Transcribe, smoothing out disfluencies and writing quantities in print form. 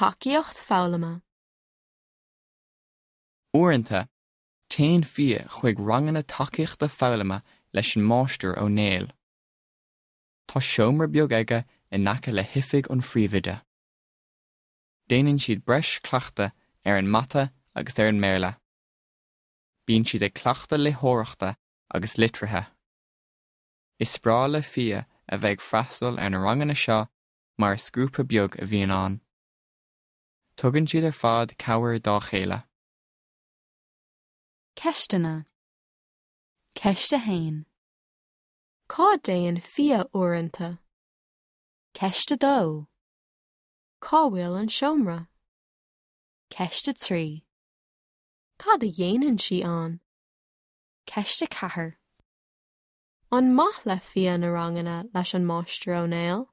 Tacaíocht foghlama. Uaireanta, téann Fia chuig ranganna tacaíochta foghlama leis an Máistir Ó Néill. Tá seomra beag aige in aice le hoifig an phríomhoide. Déanann siad breis cleachtaidh ar an mata agus ar an mBéarla. Bíonn siad ag cleachtadh léitheoireachta agus litrithe. Is breá le Fia a bheith ag freastal ar na ranganna seo mar is grúpa beag a bhíonn ann. Tugann siad ar fad cabhair dá chéile. Ceisteanna. Ceist 1. Cá dtéann Fia uaireanta? Ceist 2. Cá bhfuil an seomra? Ceist 3. Cad a dhéanann sí ann? Ceist 4. An maith le Fia na ranganna leis an Máistir Ó Néill?